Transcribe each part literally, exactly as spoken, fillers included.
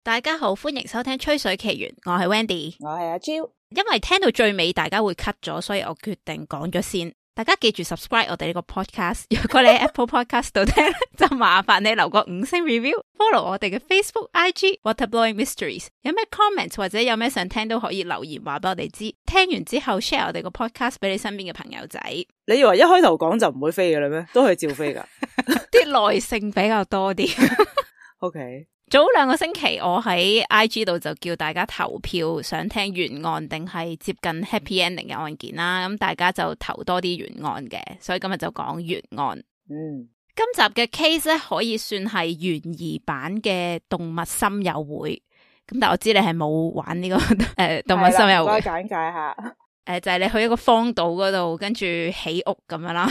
大家好，歡迎收聽吹水奇緣，我係 Wendy， 我係阿 Jo。因為聽到最尾大家會 cut 咗，所以我決定講咗先。大家記住 subscribe 我哋呢個 podcast， 如果你喺 Apple Podcast 度聽，就麻煩你留個五星 review，follow 我哋嘅 Facebook、I G、Waterblowing Mysteries。有咩 comment 或者有咩想聽都可以留言話俾我哋知。聽完之後 share 我哋個 podcast 俾你身邊嘅朋友仔。你以為一開頭講就唔會飛嘅啦咩？都係照飛噶，啲耐性比較多啲。OK。早兩個星期我喺 I G 度就叫大家投票，想聽懸案定係接近 happy ending 嘅案件啦。咁大家就投多啲懸案嘅，所以今日就講懸案。嗯，今集嘅 case 咧可以算係懸疑版嘅動物森友會。咁但係我知你係冇玩呢、這個誒、呃、動物森友會。唔該簡介下。誒、呃，就係、是、你去一個荒島嗰度，跟住起屋咁樣啦。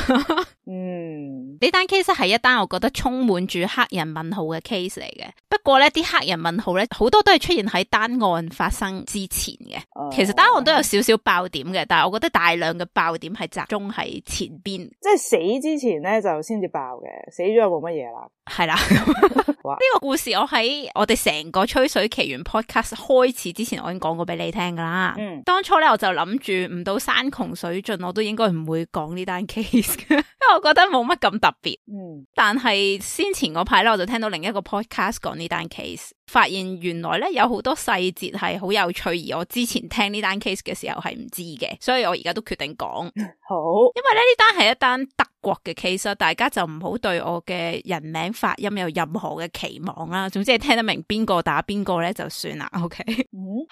嗯，呢單 case 係一單我覺得充滿住黑人問號嘅 case 嚟嘅。不過咧，啲黑人問號咧好多都係出現喺單案發生之前嘅。哦、其實單案都有少少爆點嘅，但係我覺得大量嘅爆點係集中喺前邊。即係死之前咧就先至爆嘅，死咗就冇乜嘢啦。係啦，呢個故事我喺我哋成個吹水奇緣 podcast 開始之前，我已經講過俾你聽噶啦。嗯，當初咧我就諗住唔到山窮水盡，我都應該唔會講呢單 case 嘅，因為我覺得冇乜咁特別。嗯，但係先前嗰排咧，我就聽到另一個 podcast 講呢單 case， 發現原來咧有好多細節係好有趣，而我之前聽呢單 case 嘅時候係唔知嘅，所以我而家都決定講。好，因為咧呢單係一單德國嘅 case， 大家就唔好對我嘅人名發音有任何嘅期望啦。總之係聽得明邊個打邊個咧就算啦。OK，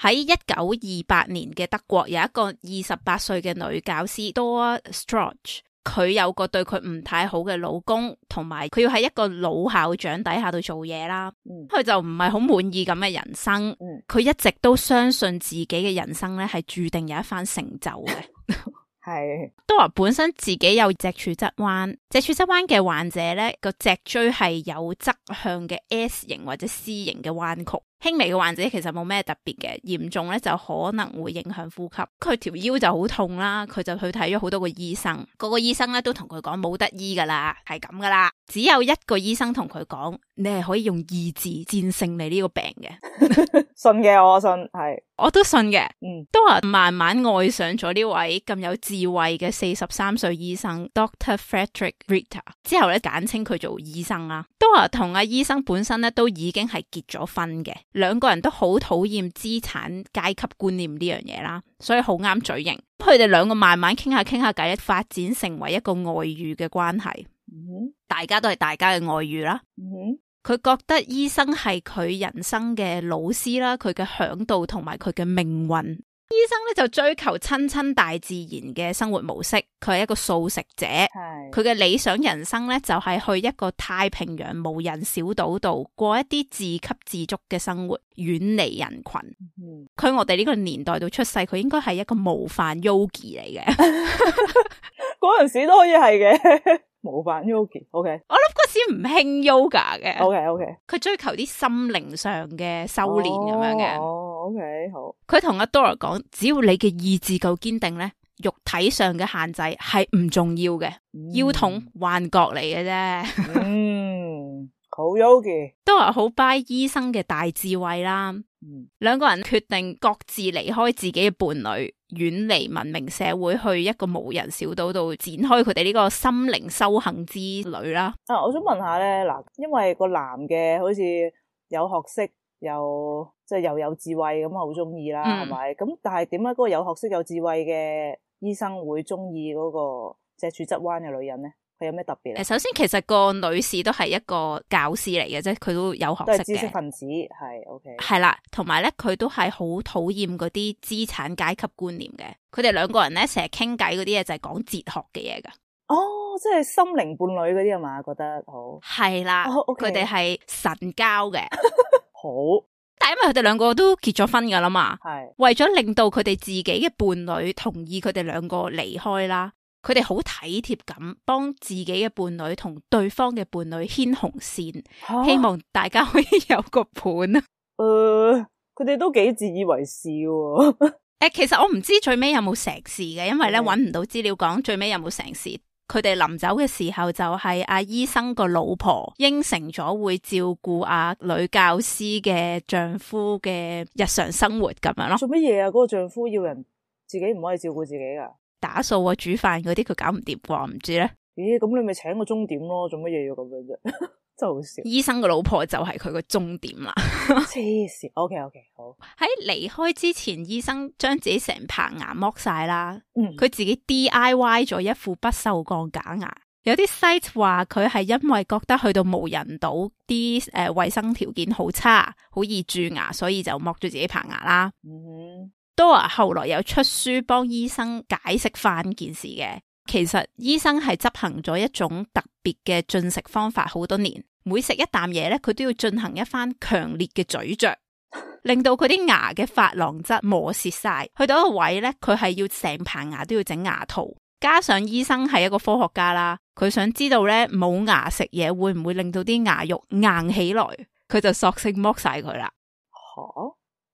喺一九二八年嘅德國有一個二十八歲嘅女教師 Dora Strauch， 佢有個對佢唔太好嘅老公，同埋佢要喺一個老校長底下度做嘢啦。佢、嗯、就唔係好滿意咁嘅人生。佢、嗯、一直都相信自己嘅人生咧係注定有一番成就嘅。係，都話本身自己有脊柱側彎，脊柱側彎嘅患者咧個脊椎係有側向嘅 S 型或者 C 型嘅彎曲，輕微嘅患者其實冇咩特別嘅，嚴重咧就可能會影響呼吸。佢條腰就好痛啦，佢就去睇咗好多個醫生，個個醫生咧都同佢講冇得醫噶啦，係咁噶啦。只有一個醫生同佢講，你係可以用意志戰勝你呢個病嘅。信嘅，我信係，我都信嘅。嗯，都話慢慢愛上咗呢位咁有智慧嘅四十三歲醫生 Doctor Frederick Ritter， 之後咧簡稱佢做醫生啦。都話同阿醫生本身咧都已經係結咗婚嘅，兩個人都好討厭資產階級觀念呢樣嘢啦，所以好啱嘴型。佢哋兩個慢慢傾下傾下偈，發展成為一個外遇嘅關係。嗯，大家都係大家嘅外遇啦。嗯，佢覺得醫生係佢人生嘅老師啦，佢嘅嚮導同埋佢嘅命運。醫生咧就追求親親大自然嘅生活模式，佢係一個素食者。係佢嘅理想人生咧就係去一個太平洋無人小島度過一啲自給自足嘅生活，遠離人群。佢、嗯、我哋呢個年代度出世，佢應該係一個模範 yogi 嚟嘅。嗰陣時都可以係嘅。模範 yogi，OK， 我諗嗰時唔興 yoga 嘅，OK OK，佢追求啲心靈上嘅修煉咁樣嘅，哦 OK 好。佢同阿 Dora 講，只要你嘅意志夠堅定咧，肉體上嘅限制係唔重要嘅，嗯、腰痛幻覺嚟嘅啫。嗯，好 yogi， Dora好 buy 醫生嘅大智慧啦。嗯，兩個人決定各自離開自己嘅伴侶，遠離文明社會，去一個無人小島度展開佢哋呢個心靈修行之旅啦。啊，我想問下咧，嗱，因為個男嘅好似有學識，又即係又有智慧咁，好中意啦，係咪？咁但係點解嗰個有學識有智慧嘅醫生會中意嗰個脊柱側彎嘅女人咧？佢有咩特別咧？首先其實個女士都係一個教師嚟嘅啫，佢都有學識嘅，都係知識分子，係 OK。係啦，同埋咧佢都係好討厭嗰啲資產階級觀念嘅。佢哋兩個人咧成日傾偈嗰啲嘢就係講哲學嘅嘢噶。哦，即係心靈伴侶嗰啲係嘛？覺得好係啦，佢哋係神交嘅。好，但係因為佢哋兩個都結咗婚噶啦嘛，係為咗令到佢哋自己嘅伴侶同意佢哋兩個離開啦。佢哋好體貼咁幫自己嘅伴侶同對方嘅伴侶牽紅線，啊、希望大家可以有個伴啊。誒、呃，佢哋都幾自以為是喎。誒，其實我唔知最尾有冇成事嘅，因為咧搵唔到資料講最尾有冇成事。佢哋臨走嘅時候就係阿醫生個老婆應承咗會照顧阿女教師嘅丈夫嘅日常生活咁樣咯。做乜嘢啊？嗰、嗰個丈夫要人自己唔可以照顧自己噶？打掃啊、煮飯嗰啲佢搞唔掂啩？唔知咧。咦？咁你咪請個鐘點咯？做乜嘢要咁樣啫？真係好笑。醫生個老婆就係佢個終點啦。黐線。O K O K 好。喺離開之前，醫生將自己成棚牙剝晒啦。嗯，佢自己 D I Y 咗一副不鏽鋼假牙。有啲 site 話佢係因為覺得去到無人島啲誒衛生條件好差，好易蛀牙，所以就剝咗自己棚牙啦。嗯哼。Dora 後來有出書幫醫生解釋翻件事嘅。其實醫生係執行咗一種特別嘅進食方法好多年，每食一啖嘢咧，佢都要進行一番強烈嘅咀嚼，令到佢啲牙嘅珐琅質磨蝕晒。去到一個位咧，佢係要成棚牙都要整牙套。加上醫生係一個科學家啦，佢想知道咧冇牙食嘢會唔會令到啲牙肉硬起來，佢就索性剝晒佢啦。吓，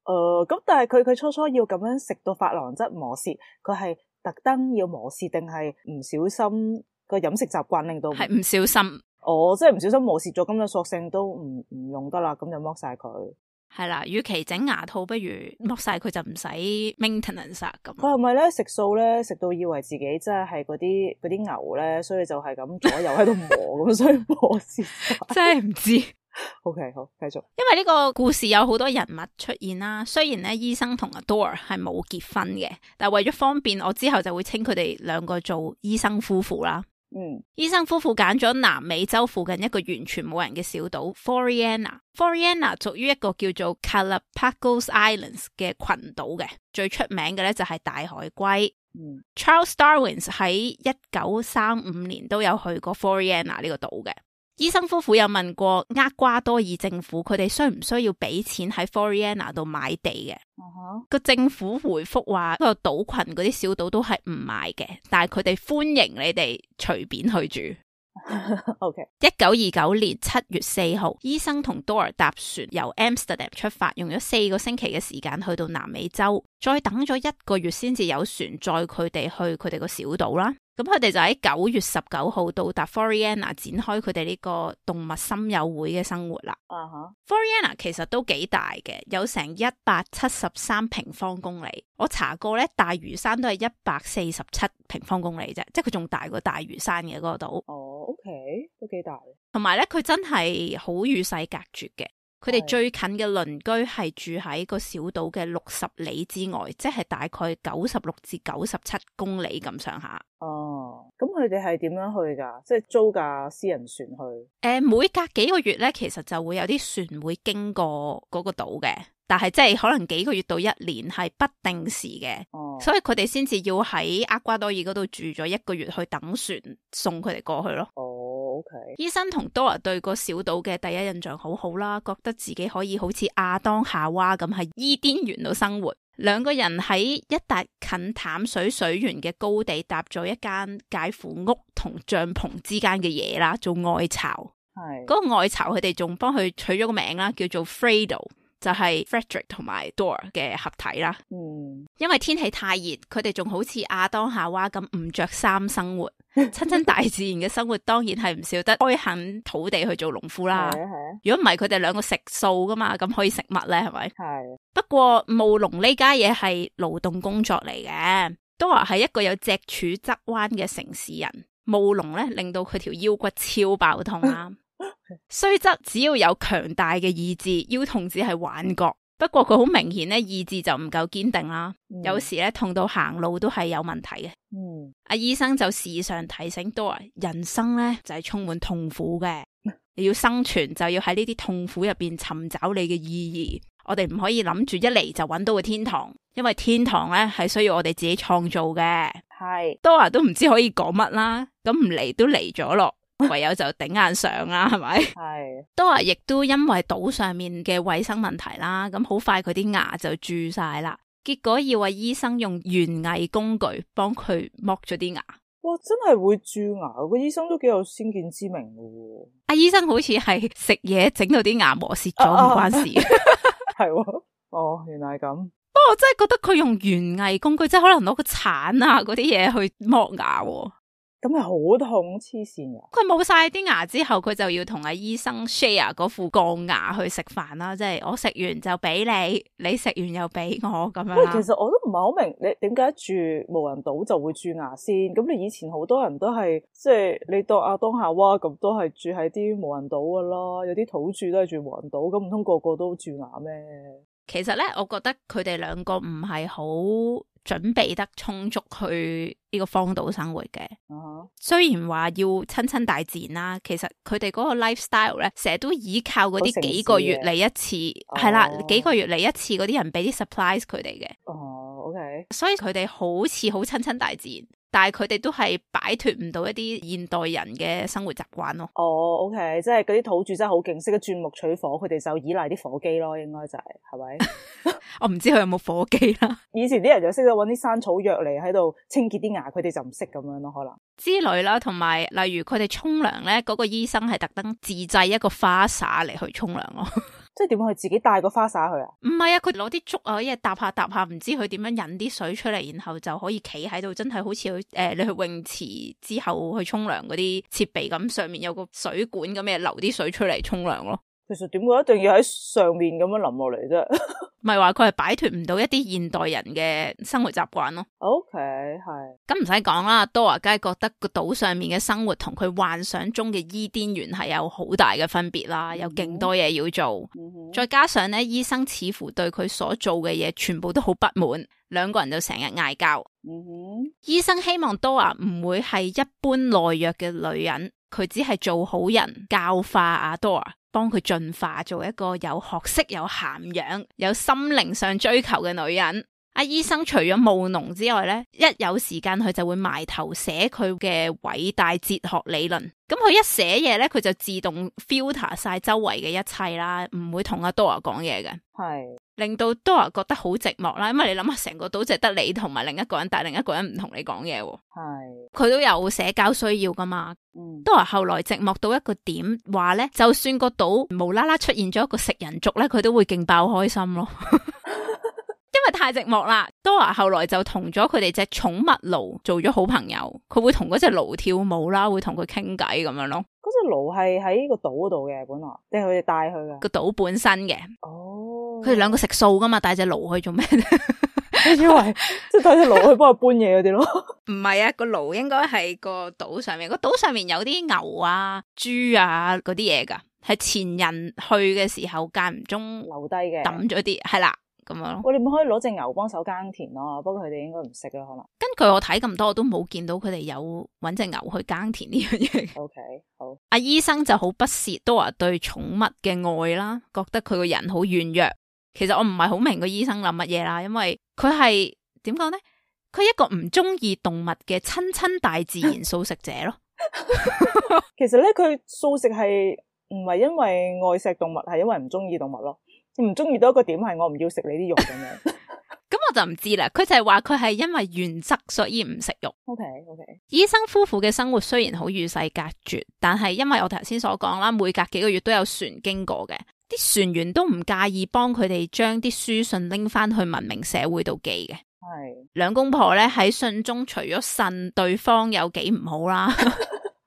誒，咁但係佢佢初初要咁樣食到珐琅質磨蝕，佢係特登要磨蝕定係唔小心個飲食習慣令到？係唔小心。哦，即係唔小心磨蝕咗，咁就索性都唔唔用得啦，咁就剝晒佢。係啦，與其整牙套，不如剝晒佢就唔使 maintenance 咁。佢係咪咧食素咧食到以為自己真係係嗰啲嗰啲牛咧，所以就係咁左右喺度磨咁，所以磨蝕晒。真係唔知。OK， 好，繼續。因為呢個故事有好多人物出現啦，雖然咧醫生同阿 Dora 係冇結婚嘅，但係為咗方便，我之後就會稱佢哋兩個做醫生夫婦啦。嗯，醫生夫婦揀咗南美洲附近一個完全冇人嘅小島 Floriana。Floriana 屬於一個叫做 Galapagos Islands 嘅群島嘅，最出名嘅咧就係大海龜。嗯，Charles Darwin 喺一九三五年都有去過 Floriana 呢個島嘅。醫生夫婦有問過厄瓜多爾政府，佢哋需唔需要俾錢喺 Floriana 度買地嘅？個、uh-huh. 政府回覆話，個島群嗰啲小島都係唔買嘅，但係佢哋歡迎你哋隨便去住。OK。一九二九年七月四號，醫生同 Dora 搭船由 Amsterdam 出發，用咗四個星期嘅時間去到南美洲，再等咗一個月先至有船載佢哋去佢哋個小島啦。咁佢哋就喺九月十九號到達 Floriana 展開佢哋呢個動物森友會嘅生活啦。啊哈 Floriana 其實都幾大嘅，有成一百七十三平方公里。我查過咧，大嶼山都係一百四十七平方公里啫，即係佢仲大過大嶼山嘅嗰個島。哦 ，OK，都幾大。同埋咧，佢真係好與世隔絕嘅。佢哋最近嘅鄰居係住喺個小島嘅六十里之外，即係大概九十六至九十七公里咁上下。哦，咁佢哋係點樣去噶？即係租架私人船去？誒、呃，每隔幾個月咧，其實就會有啲船會經過嗰個島嘅，但係即係可能幾個月到一年係不定時嘅。哦，所以佢哋先至要喺厄瓜多爾嗰度住咗一個月去等船送佢哋過去咯。哦，OK。醫生同 Dora 對個小島嘅第一印象好好啦，覺得自己可以好似亞當夏娃咁喺伊甸園度生活。兩個人喺一笪近淡水水源嘅高地搭咗一間介乎屋同帳篷之間嘅嘢啦，做愛巢。係嗰個愛巢，佢哋仲幫佢取咗個名啦，叫做 Fredo， 就係 Frederick 同埋 Dora 嘅合體啦。嗯，因為天氣太熱，佢哋仲好似亞當夏娃咁唔着衫生活。親親大自然嘅生活當然係唔少得開墾土地去做農夫啦。係啊係啊，如果唔係佢哋兩個食素噶嘛，咁可以食乜咧？係咪？係。不過務農呢家嘢係勞動工作嚟嘅。Dora係一個有脊柱側彎嘅城市人，務農咧令到佢條腰骨超爆痛啦。雖則只要有強大嘅意志，腰痛只係幻覺。不過佢好明顯咧，意志就唔夠堅定啦。嗯、有時咧痛到行路都係有問題嘅。嗯，阿醫生就時常提醒 Dora，人生咧就係、是、充滿痛苦嘅。你要生存就要喺呢啲痛苦入邊尋找你嘅意義。我哋唔可以諗住一嚟就揾到個天堂，因為天堂咧係需要我哋自己創造嘅。係 Dora 都唔知可以講乜啦，咁唔嚟都嚟咗咯。唯有就頂硬上啦，係咪？係。Dora亦都因為島上面嘅衛生問題啦，咁好快佢啲牙就蛀晒啦。結果要話醫生用園藝工具幫佢剝咗啲牙。哇，真係會蛀牙，個醫生都幾有先見之明嘅。阿醫生好似係食嘢整到啲牙磨蝕咗，唔關事。係喎，哦，原來係咁。不過我真係覺得佢用園藝工具，即係可能攞個鏟啊嗰啲嘢去剝牙。咁係好痛，黐線噶。佢冇晒啲牙之後，佢就要同阿醫生 share 嗰副鋼牙去食飯啦，即係我食完就俾你，你食完又俾我咁樣啦。其實我都唔係好明，你點解住無人島就會蛀牙先？咁你以前好多人都係即係你當阿當夏娃咁，都係住喺啲無人島噶啦，有啲土著都係住無人島，咁唔通個個都蛀牙咩？其實咧，我覺得佢哋兩個唔係好準備得充足去呢個荒島生活嘅。Uh-huh. 雖然話要親親大自然啦，其實佢哋嗰個 lifestyle 咧，成日都依靠嗰啲幾個月嚟一次，係啦，幾個月嚟一次嗰啲人俾啲 supplies 佢哋嘅。哦、uh-huh.，OK， 所以佢哋好似好親親大自然。但係佢哋都係擺脫唔到一啲現代人嘅生活習慣咯。哦、oh, ，OK， 即係嗰啲土著真係好勁，識得鑽木取火，佢哋就依賴啲火機咯，應該就係、是，係咪？我唔知佢有冇火機啦。以前啲人就識得搵啲山草藥嚟喺度清潔啲牙，佢哋就唔識咁樣咯，可能之類啦。同埋例如佢哋沖涼咧，嗰、那個醫生係特登自製一個花灑嚟去沖涼咯。即係點樣去自己帶個花灑去啊？唔係啊，佢攞啲竹啊，一嘢搭下搭下，唔知佢點樣引啲水出嚟，然後就可以企喺度，真係好似去誒，你去泳池之後去沖涼嗰啲設備咁，上面有個水管咁嘅，流啲水出嚟沖涼咯。其實點解一定要喺上面咁樣淋落嚟啫？唔係話佢係擺脫唔到一啲現代人嘅生活習慣咯。OK， 係。咁唔使講啦，Dora梗係覺得個島上面嘅生活同佢幻想中嘅伊甸園係有好大嘅分別啦，有勁多嘢要做。Mm-hmm. 再加上咧，醫生似乎對佢所做嘅嘢全部都好不滿，兩個人就成日嗌交。Mm-hmm. 醫生希望 Dora 唔會係一般懦弱嘅女人，佢只係做好人，教化阿 Dora。幫佢進化做一個有學識、有涵養、有心靈上追求嘅女人。阿醫生除咗務農之外咧，一有時間佢就會埋頭寫佢嘅偉大哲學理論。咁佢一寫嘢咧，佢就自動 filter 晒周圍嘅一切啦，唔會同阿 Dora 講嘢嘅。係令到 Dora 覺得好寂寞啦，因為你諗下，成個島淨得你同埋另一個人，但係另一個人唔同你講嘢。係佢都有社交需要噶嘛。嗯Dora 後來寂寞到一個點，話咧就算個島無啦啦出現咗一個食人族咧，佢都會勁爆開心咯。因為太寂寞啦。Dora 後來就同咗佢哋隻寵物驢做咗好朋友，佢會同嗰隻驢跳舞啦，會同佢傾偈咁樣咯。嗰隻驢係喺個島嗰度嘅本來，定係佢哋帶去嘅？個島本身嘅。哦，佢哋兩個食素噶嘛，帶隻驢去做咩？你以為即係帶隻驢去幫佢搬嘢嗰啲咯？唔係啊，個驢應該係個島上面，個島上面有啲牛啊、豬啊嗰啲嘢噶，係前人去嘅時候間唔中留低嘅，抌咗啲，係啦咁樣咯。我哋咪可以攞隻牛幫手耕田咯，不過佢哋應該唔識啦，可能。根據我睇咁多，我都冇見到佢哋有搵隻牛去耕田呢樣嘢。OK， 好。阿醫生就好不屑Dora對寵物嘅愛啦，覺得佢個人好軟弱。其實我唔係好明個醫生諗乜嘢啦，因為佢係點講呢？佢係一個唔中意動物嘅親親大自然素食者咯。其實咧，佢素食係唔係因為愛錫動物，係因為唔中意動物咯。唔中意到一個點係我唔要食你啲肉咁樣。咁我就唔知啦。佢就係話佢係因為原則所以唔食肉。OK OK。醫生夫婦嘅生活雖然好與世隔絕，但係因為我頭先所講啦，每隔幾個月都有船經過嘅。啲船員都唔介意幫佢哋將啲書信拎翻去文明社會度寄嘅。係兩公婆咧喺信中除咗呻對方有幾唔好啦，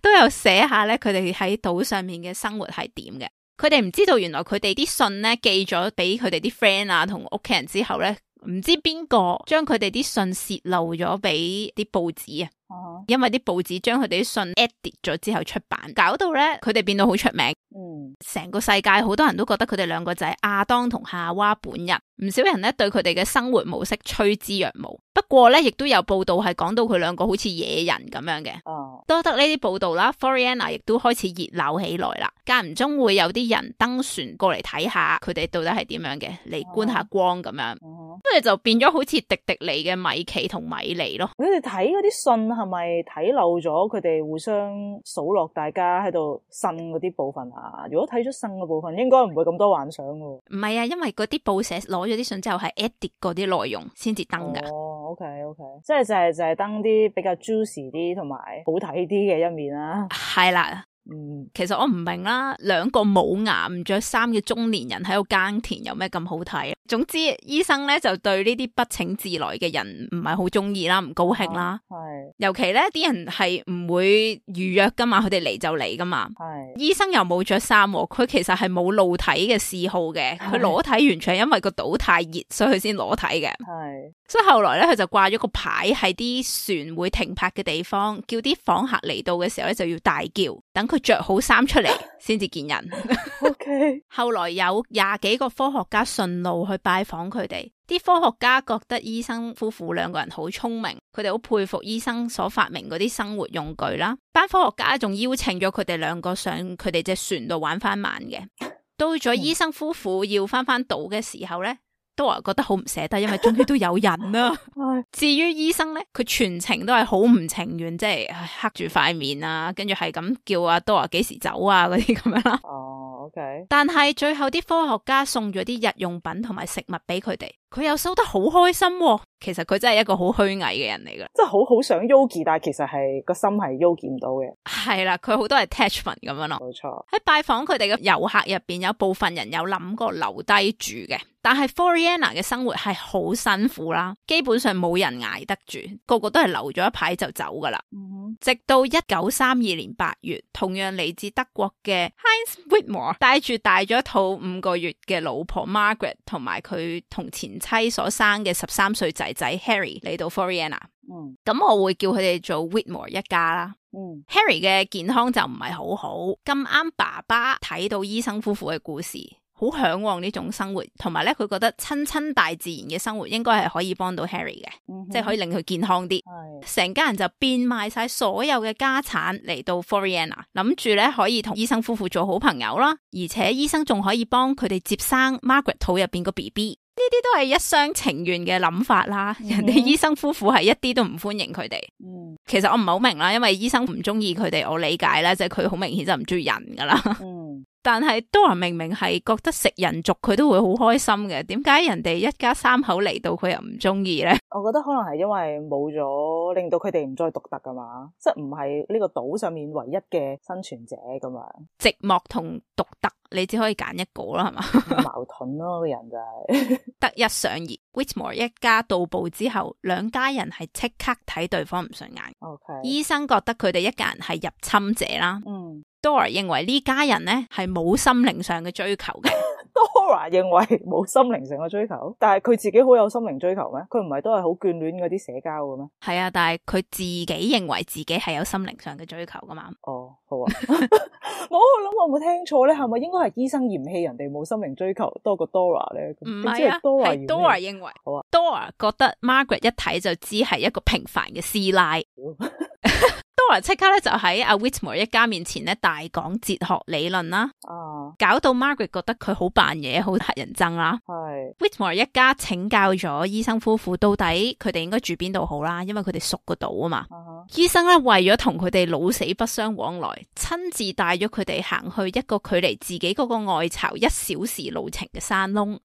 都有寫下咧佢哋喺島上面嘅生活係點嘅。佢哋唔知道原來佢哋啲信咧寄咗俾佢哋啲 friend 啊同屋企人之後咧，唔知邊個將佢哋啲信洩漏咗俾啲報紙啊。Uh-huh. 因為啲報紙將佢哋啲信 edit 咗之後出版，搞到咧佢哋變到好出名。嗯，成個世界好多人都覺得佢哋兩個就係亞當同夏娃本人。唔少人咧對佢哋嘅生活模式趨之若鶩。不過咧，亦都有報道係講到佢兩個好似野人咁樣嘅。哦，多得呢啲報道啦 ，Floriana 亦都開始熱鬧起來啦。間唔中會有啲人登船過嚟睇下佢哋到底係點樣嘅，嚟觀下光咁樣。哦，跟住就變咗好似迪迪尼嘅米奇同米妮咯。你哋睇嗰啲信係咪睇漏咗佢哋互相數落大家喺度呻嗰啲部分啊？如果睇咗呻嘅部分，應該唔會咁多幻想噶。唔係啊，因為嗰啲報社攞咗啲信之後係 edit 嗰啲內容先至登噶。哦 ，OK OK，即係就係就係登啲比較 juicy 啲同埋好睇啲嘅一面啦。係啦。嗯，其實我唔明啦，兩個冇牙唔着衫嘅中年人喺度耕田有咩咁好睇？總之醫生咧就對呢啲不請自來嘅人唔係好中意啦，唔高興啦。係、啊，尤其咧啲人係唔會預約噶嘛，佢哋嚟就嚟噶嘛。係，醫生又冇着衫，佢其實係冇露體嘅嗜好嘅，佢裸體完全係因為個島太熱，所以佢先裸體嘅。係，所以後來咧佢就掛咗個牌喺啲船會停泊嘅地方，叫啲訪客嚟到嘅時候咧就要大叫，等佢着好衫出嚟先至見人。OK。後來有廿幾個科學家順路去拜訪佢哋，啲科學家覺得醫生夫婦兩個人好聰明，佢哋好佩服醫生所發明嗰啲生活用具啦。班科學家仲邀請咗佢哋兩個上佢哋隻船度玩翻晚嘅。到咗醫生夫婦要翻翻島嘅時候呢，都話覺得好唔捨得，因為終於都有人啦。至於醫生呢，佢全程都係好唔情願，即係黑住塊面啊，跟住係咁叫阿多華幾時走啊嗰啲咁樣啦。哦，OK。但係最後啲科學家送咗啲日用品同埋食物俾佢哋，佢又收得好開心喎。其實佢真係一個好虛偽嘅人嚟噶，即係好好想 Yogi，但係其實係個心係 Yogi 唔到嘅。係啦，佢好多 attachment 咁樣咯。冇錯。喺拜訪佢哋嘅遊客入邊，有部分人有諗過留低住嘅，但係 Floriana 嘅生活係好辛苦啦，基本上冇人捱得住，個個都係留咗一排就走噶啦。嗯、直到一九三二年八月，同樣嚟自德國嘅 Heinz Whitmore 帶住大咗肚五個月嘅老婆 Margaret 同埋佢同前妻所生嘅十三歲仔仔 Harry 嚟到 Floriana。嗯，咁我會叫佢哋做 Whitmore 一家啦。嗯 Harry 嘅健康就唔係好好，咁啱爸爸睇到醫生夫婦嘅故事，好向往呢種生活，同埋咧佢覺得親親大自然嘅生活應該係可以幫到 Harry 嘅，嗯、即係可以令佢健康啲。成家人就變賣晒所有嘅家產嚟到 Floriana， 諗住咧可以同醫生夫婦做好朋友啦，而且醫生仲可以幫佢哋接生 Margaret 肚入邊個 B B。呢啲都係一廂情願嘅諗法啦，嗯、人哋醫生夫婦係一啲都唔歡迎佢哋。嗯，其實我唔係好明啦，因為醫生唔中意佢哋，我理解啦，即係佢好明顯就唔中意人噶啦。嗯，但係多人明明係覺得食人族佢都會好開心嘅，點解人哋一家三口嚟到佢又唔中意咧？我覺得可能係因為冇咗，令到佢哋唔再獨特噶嘛，即係唔係呢個島上面唯一嘅生存者咁樣。寂寞同獨特，你只可以揀一個啦，係嘛？矛盾咯，個人就係得一想二。Whitmore 一家到埗之後，兩家人係即刻睇對方唔順眼。Okay. 醫生覺得佢哋一家人係入侵者啦。嗯。Dora 認為呢家人咧係冇心靈上嘅追求嘅。Dora 認為冇心靈上嘅追求，但係佢自己好有心靈追求咩？佢唔係都係好眷戀嗰啲社交嘅咩？係啊，但係佢自己認為自己係有心靈上嘅追求噶嘛？哦，好啊，我諗我冇聽錯咧，係咪應該係醫生嫌棄人哋冇心靈追求多過 Dora 咧？唔係啊，係 Dora 認為。好啊 Dora 覺得 Margaret 一睇就知係一個平凡嘅師奶。Dora 即刻咧就喺阿 Whitmore 一家面前咧大講哲學理論啦，啊，搞到 Margaret 覺得佢好扮嘢，好乞人憎啦。係 Whitmore 一家請教咗醫生夫婦到底佢哋應該住邊度好啦，因為佢哋熟個島啊嘛。啊醫生咧為咗同佢哋老死不相往來，親自帶咗佢哋行去一個距離自己嗰個外巢一小時路程嘅山窿。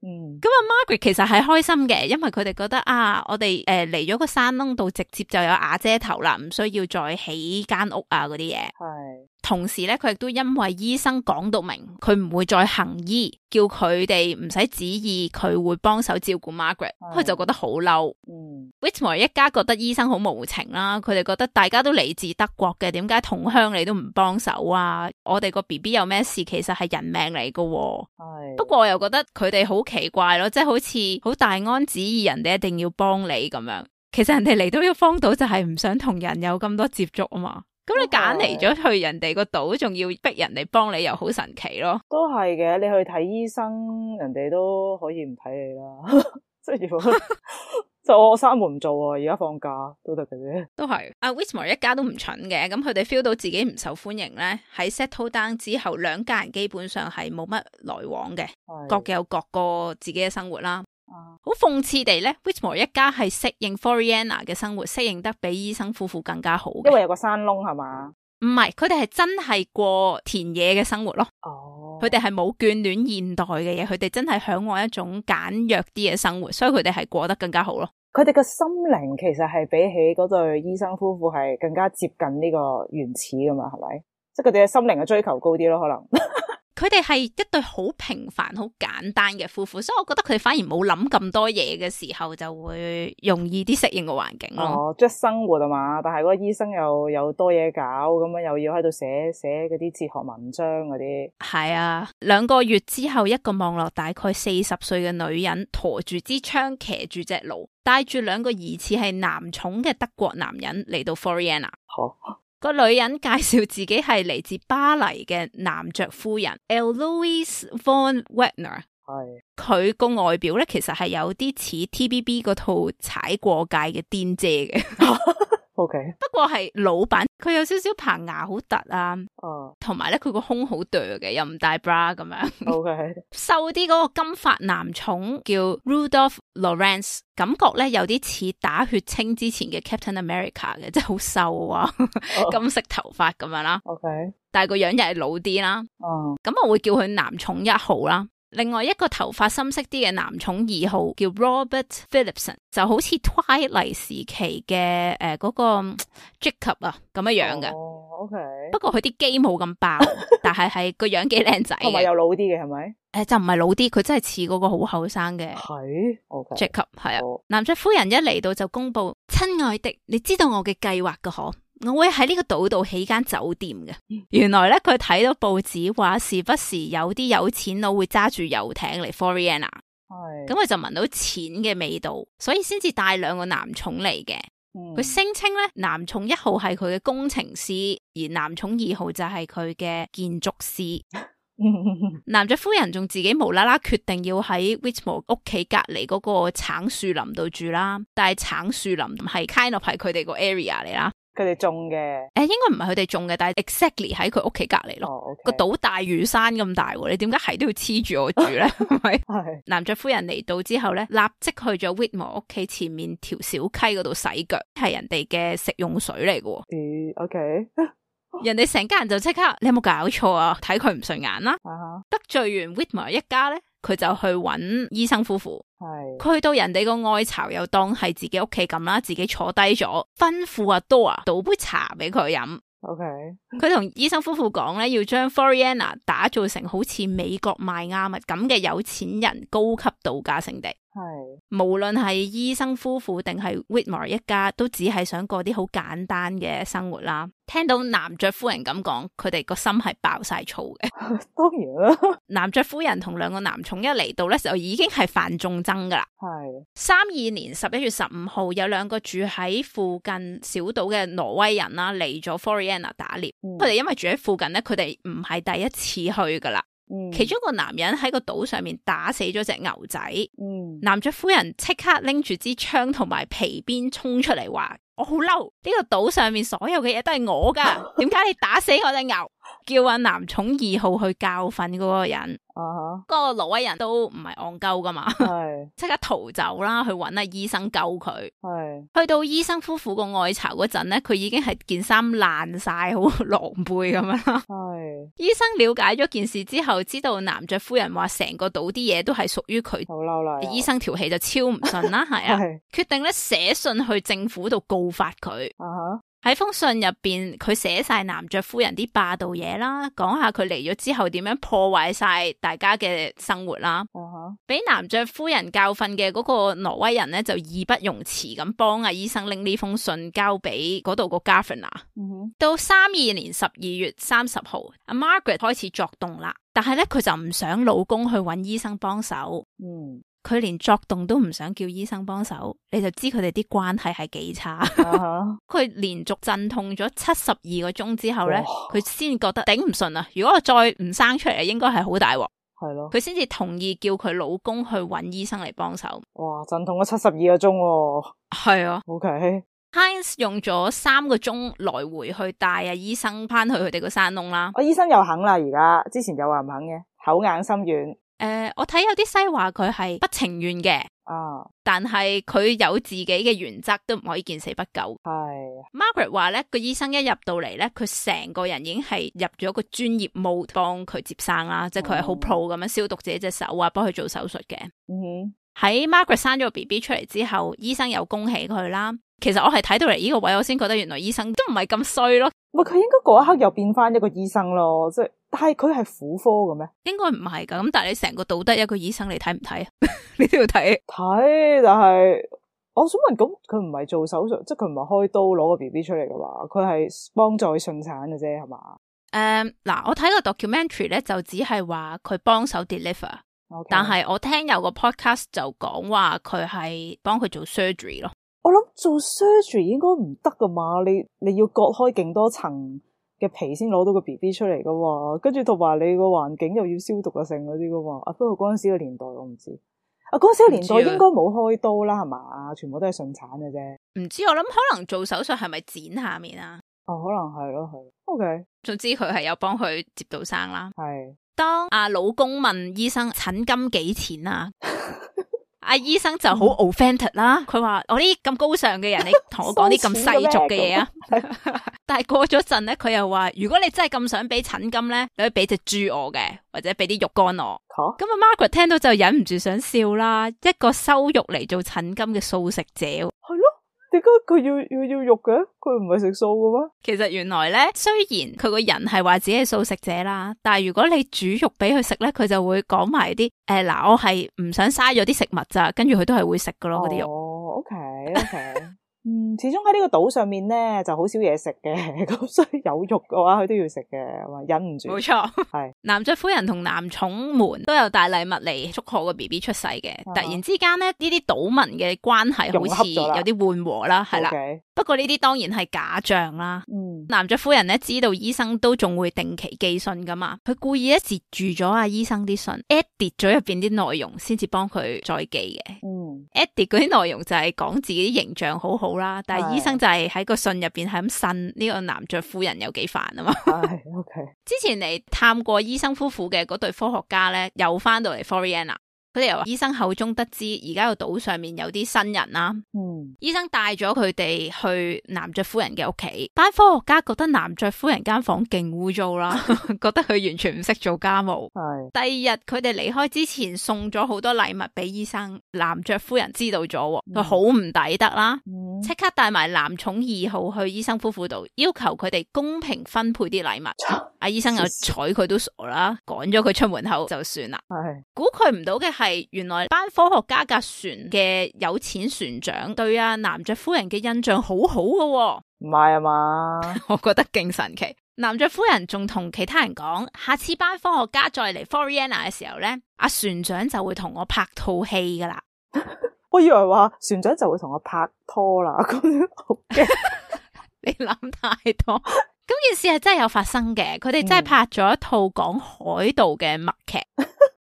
嗯，咁啊 Margaret 其實係開心嘅，因為佢哋覺得啊，我哋誒嚟咗個山窿度，直接就有瓦遮頭啦，唔需要再起間屋啊嗰啲嘢。係，同時咧，佢亦都因為醫生講到明，佢唔會再行醫，叫佢哋唔使旨意，佢會幫手照顧 Margaret，佢就覺得好嬲。嗯 Whitmore 一家覺得醫生好無情啦，佢哋覺得大家都嚟自德國嘅，點解同鄉你都唔幫手啊？我哋個 B B 有咩事，其實係人命嚟噶。係，不過我又覺得佢哋好奇怪咯，即係好似好大安旨意，人哋一定要幫你咁樣。其實人哋嚟到呢個荒島就係唔想同人有咁多接觸啊嘛。咁你揀嚟咗去人哋個島，仲要逼人哋幫你，又好神奇咯。都係嘅，你去睇醫生，人哋都可以唔睇你啦。即係如果就我閂門唔做啊，而家放假都得嘅啫。都係阿 Whitmore 一家都唔蠢嘅，咁佢哋 feel 到自己唔受歡迎咧，喺 settle down 之後，兩家人基本上係冇乜來往嘅，各有各個自己嘅生活啦。好諷刺地咧 Whitmore 一家係適應 Floriana 嘅生活，適應得比醫生夫婦更加好嘅。因為有個山窿係嘛？唔係，佢哋係真係過田野嘅生活咯。哦，佢哋係冇眷戀現代嘅嘢，佢哋真係向往一種簡約啲嘅生活，所以佢哋係過得更加好咯。佢哋嘅心靈其實係比起嗰對醫生夫婦係更加接近呢個原始噶嘛，係咪？即係佢哋嘅心靈嘅追求高啲咯，可能。佢哋係一對好平凡好簡單嘅夫婦，所以我覺得佢哋反而冇諗咁多嘢嘅時候就會容易啲適應個環境咯。哦，即係生活啊嘛，但係嗰個醫生又有多嘢搞，咁樣又要喺度寫寫嗰啲哲學文章嗰啲。係啊，兩個月之後，一個望落大概四十歲嘅女人馱住支槍，騎住隻驢，帶住兩個疑似係男寵嘅德國男人嚟到 Floriana。好。個女人介紹自己係嚟自巴黎嘅男爵夫人 Eloise von Wagner。係。佢個外表咧，其實係有啲似 T V B 嗰套踩過界嘅癲姐嘅。O K。不過係老版，佢有少少棚牙好突啊。哦。同埋咧，佢個胸好嗲嘅，又唔帶 bra 咁樣。O K。瘦啲嗰個金髮男寵叫 Rudolph Lawrence， 感覺咧有啲似打血清之前嘅 Captain America 嘅，即係好瘦啊， oh. 金色頭髮咁樣啦。O K。但係個樣又係老啲啦。哦。咁我會叫佢男寵一號啦。另外一個頭髮深色啲嘅男寵二號叫 Robert Philipson， 就好似 Twilight 時期嘅誒嗰個 Jacob 啊咁樣樣嘅。哦、oh,，OK。不過佢啲肌冇咁爆，但係係個樣幾靚仔嘅。同埋又老啲嘅係咪？誒，就唔係老啲，佢真係似嗰個好後生嘅。係 OK。Jacob 係啊。Oh. 男爵夫人一嚟到就公布，親愛的，你知道我嘅計劃㗎嗬？我會喺呢個島度起間酒店嘅。原來咧佢睇到報紙話，時不時有啲有錢佬會揸住遊艇嚟 Floriana。係。咁佢就聞到錢嘅味道，所以先至帶兩個男寵嚟嘅。佢聲稱咧，男寵一號係佢嘅工程師，而男寵二號就係佢嘅建築師。男爵夫人仲自己無啦啦決定要喺 Whitmore 屋企隔籬嗰個橙樹林度住啦，但係橙樹林係 kind of 係佢哋個 area 嚟啦。佢哋種嘅，誒，應該唔係佢哋種嘅，但係 exactly 喺佢屋企隔籬咯。個島大嶼山咁大，你點解係都要黐住我住咧？係咪？係。男爵夫人嚟到之後咧，立即去咗 Whitmore 屋企前面條小溪嗰度洗腳，係人哋嘅食用水嚟嘅。嗯 ，OK。人哋成家人就即刻，你有冇搞錯啊？睇佢唔順眼啦。Uh-huh. 得罪完 Whitmore 一家咧，佢就去揾醫生夫婦。係，佢去到人哋個愛巢又當係自己屋企咁啦，自己坐低咗，吩咐阿 Dora 倒杯茶俾佢飲。OK，佢同醫生夫婦講咧，要將 Floriana 打造成好似美國邁阿密咁嘅有錢人高級度假勝地。係，無論係醫生夫婦定係 Whitmore 一家，都只係想過啲好簡單嘅生活啦。聽到男爵夫人咁講，佢哋個心係爆晒粗嘅。當然啦，男爵夫人同兩個男寵一嚟到咧，就已經係犯眾憎噶啦。係，三二年十一月十五號，有兩個住喺附近小島嘅挪威人啦，嚟咗 Floriana 打獵。佢哋因為住喺附近咧，佢哋唔係第一次去噶啦。嗯、其中一個男人喺個島上面打死咗隻牛仔。嗯，男爵夫人即刻拎住支槍同埋皮鞭衝出嚟話：我好嬲，呢個島上面所有嘅嘢都係我噶，點解你打死我隻牛？叫阿男寵二號去教訓嗰個人。啊、uh-huh. 嗰個挪威人都唔係戇鳩噶嘛，係即刻逃走啦，去搵阿醫生救佢。係去到醫生夫婦個愛巢嗰陣咧，佢已經係件衫爛晒，好狼狽咁樣啦。係醫生了解咗件事之後，知道男爵夫人話成個島啲嘢都係屬於佢，好嬲啦。醫生條氣就超唔順啦，係啊，決定咧寫信去政府度告發佢。啊哈。喺封信入邊，佢寫晒男爵夫人啲霸道嘢啦，講下佢嚟咗之後點樣破壞晒大家嘅生活啦。俾、uh-huh. 男爵夫人教訓嘅嗰個挪威人咧，就義不容辭咁幫阿醫生拎呢封信交俾嗰度個 Governor。Uh-huh. 到三二年十二月三十號，阿 Margaret 開始作動啦，但係咧佢就唔想老公去揾醫生幫手。嗯。佢連作動都唔想叫醫生幫手，你就知佢哋啲關係係幾差。佢、uh-huh. 連續陣痛咗七十二個鐘之後咧，佢先覺得頂唔順啊！如果我再唔生出嚟，應該係好大鑊。係咯，佢先至同意叫佢老公去揾醫生嚟幫手。哇！陣痛咗七十二個鐘喎。係啊。OK。Heinz 用咗三個鐘來回去帶阿醫生翻去佢哋個山窿啦。我醫生又肯啦，而家之前就話唔肯嘅，口硬心軟。誒、呃，我睇有啲西話佢係不情願嘅，啊，但係佢有自己嘅原則，都唔可以見死不救。係 Margaret 話咧，個醫生一入到嚟咧，佢成個人已經係入咗個專業 mode 幫佢接生啦，即係佢係好 pro 咁樣消毒自己隻手啊，幫佢做手術嘅。嗯，喺 Margaret 生咗個 B B 出嚟之後，醫生又恭喜佢啦。其實我係睇到嚟呢個位，我先覺得原來醫生都唔係咁衰咯。唔係佢應該嗰一刻又變翻一個醫生咯，即係但係佢係婦科嘅咩？應該唔係噶，咁但係你成個倒得一個醫生，你睇唔睇啊？你都要睇。睇，但係我想問，咁佢唔係做手術，即係佢唔係開刀攞個 B B 出嚟嘅嘛？佢係幫助佢順產嘅啫，係嘛？誒，嗱，我睇個 documentary 咧，就只係話佢幫手 deliver。Okay. 但係我聽有個 podcast 就講話佢係幫佢做 surgery 咯。我諗做 surgery 應該唔得噶嘛，你你要割開勁多層嘅皮先攞到個 B B 出嚟噶嘛，跟住同埋你個環境又要消毒啊，剩嗰啲噶嘛。啊，不過嗰陣時嘅年代我唔知，啊嗰陣時嘅年代應該冇開刀啦，係嘛？全部都係順產嘅啫。唔知，我諗可能做手術係咪剪下面啊？哦，可能係咯，係。OK， 總之佢係有幫佢接到生啦。係。當阿老公問醫生診金幾錢啊？阿醫生就好 offended 啦，佢話我啲咁高尚嘅人，你同我講啲咁世俗嘅嘢啊！但係過咗陣咧，佢又話如果你真係咁想俾診金咧，你可以俾隻豬我嘅，或者俾啲肉乾我。咁啊 Margaret 聽到就忍唔住想笑啦，一個收肉嚟做診金嘅素食者。係咯。點解佢要要要肉嘅？佢唔係食素嘅咩？其實原來咧，雖然佢個人係話自己係素食者啦，但係如果你煮肉俾佢食咧，佢就會講埋啲誒嗱，我係唔想嘥咗啲食物咋，跟住佢都係會食噶咯嗰啲肉。哦 ，OK OK。嗯，始終喺呢個島上面咧就好少嘢食嘅，咁所以有肉嘅話佢都要食嘅，忍唔住。冇錯，係男爵夫人同男寵們都有帶禮物嚟祝賀個 B B 出世嘅。啊、突然之間咧，呢啲島民嘅關係好似有啲緩和啦，係啦。Okay. 不過呢啲當然係假象啦。嗯，男爵夫人咧知道醫生都仲會定期寄信噶嘛，佢故意咧截住咗阿醫生啲信 ，edit 咗入邊啲內容先至幫佢再寄嘅。嗯 ，edit 嗰啲內容就係講自己啲形象好好啦，但係醫生就係喺個信入邊係咁呻呢個男爵夫人有幾煩啊嘛。係 OK。之前嚟探過醫生夫婦嘅嗰對科學家咧，又翻到嚟 Floriana。佢哋由醫生口中得知，而家個島上面有啲新人啦。嗯，醫生帶咗佢哋去男爵夫人嘅屋企，班科學家覺得男爵夫人間房勁污糟啦，覺得佢完全唔識做家務。係。第二日佢哋離開之前送咗好多禮物俾醫生，男爵夫人知道咗，佢好唔抵得啦，即、嗯、刻帶埋男寵二號去醫生夫婦度，要求佢哋公平分配啲禮物。阿醫生又睬佢都傻啦，趕咗佢出門口就算啦。係。估佢唔到嘅係，原來班科學家架船嘅有錢船長對阿男爵夫人嘅印象好好嘅。唔係啊嘛？我覺得勁神奇。男爵夫人仲同其他人講，下次班科學家再嚟 Floriana 嘅時候咧，阿船長就會同我拍套戲噶啦。我以為話船長就會同我拍拖啦，咁樣好驚。你諗太多。咁件事係真係有發生嘅，佢哋真係拍咗一套講海盜嘅默劇。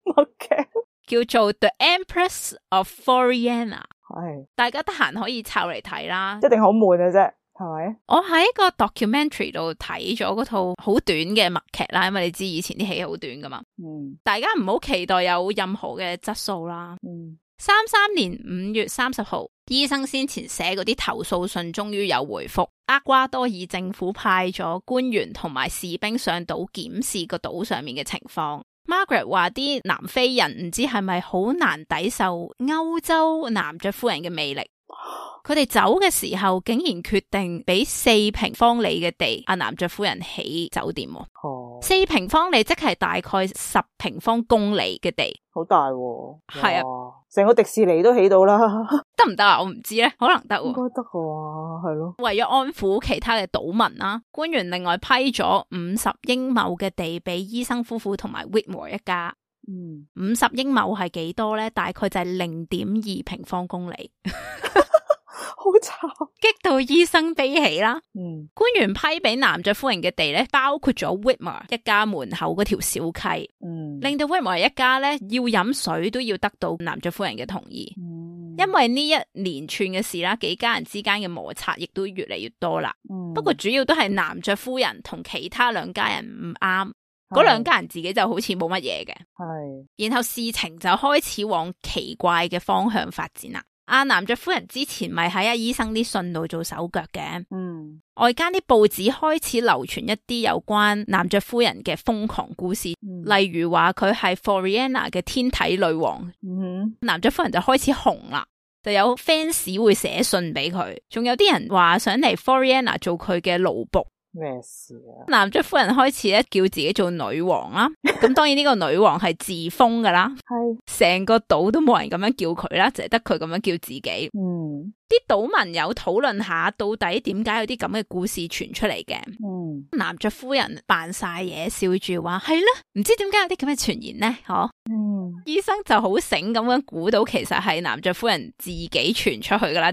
默劇叫做 The Empress of Floriana。係，大家得閒可以抄嚟睇啦。一定好悶嘅啫，係咪？我喺個 documentary 度睇咗嗰套好短嘅默劇啦，因為你知以前啲戲好短噶嘛。嗯，大家唔好期待有任何嘅質素啦。嗯，三三年五月三十號，醫生先前寫嗰啲投訴信終於有回覆。厄瓜多爾政府派咗官員同埋士兵上島檢視個島上面嘅情況。Margaret 話啲南非人唔知係咪好難抵受歐洲男爵夫人嘅魅力，佢哋走嘅時候竟然決定俾四平方里嘅地阿男爵夫人起酒店。哦，四平方里即係大概十平方公里嘅地，好大喎。係啊，成個迪士尼都起到啦。得唔得啊？我唔知咧，可能得喎。應該得嘅，係咯。為咗安撫其他嘅島民啦，官員另外批咗五十英畝嘅地俾醫生夫婦同埋 Whitmore 一家。嗯，五十英畝係幾多咧？大概就係零點二平方公里。好慘，激到醫生悲喜啦。嗯，官員批俾男爵夫人嘅地咧，包括咗 Whitmore 一家門口嗰條小溪。嗯，令到 Whitmore 一家咧要飲水都要得到男爵夫人嘅同意。嗯，因為呢一連串嘅事啦，幾家人之間嘅摩擦亦都越嚟越多啦。嗯，不過主要都係男爵夫人同其他兩家人唔啱，嗰兩家人自己就好似冇乜嘢嘅。係，然後事情就開始往奇怪嘅方向發展啦。阿男爵夫人之前咪喺阿醫生啲信度做手腳嘅，嗯，外間啲報紙開始流傳一啲有關男爵夫人嘅瘋狂故事，嗯、例如話佢係 Floriana 嘅天體女王，嗯，男爵夫人就開始紅啦，就有 fans 會寫信俾佢，仲有啲人話想嚟 Floriana 做佢嘅奴僕。咩事啊？男爵夫人開始咧叫自己做女王啦，咁當然呢個女王係自封噶啦，係成個島都冇人咁樣叫佢啦，淨係得佢咁樣叫自己。嗯，啲島民有討論下到底點解有啲咁嘅故事傳出嚟嘅。嗯，男爵夫人扮晒嘢，笑住話係啦，唔知點解有啲咁嘅傳言呢？嗬。嗯，醫生就好醒咁樣估到其實係男爵夫人自己傳出去噶啦。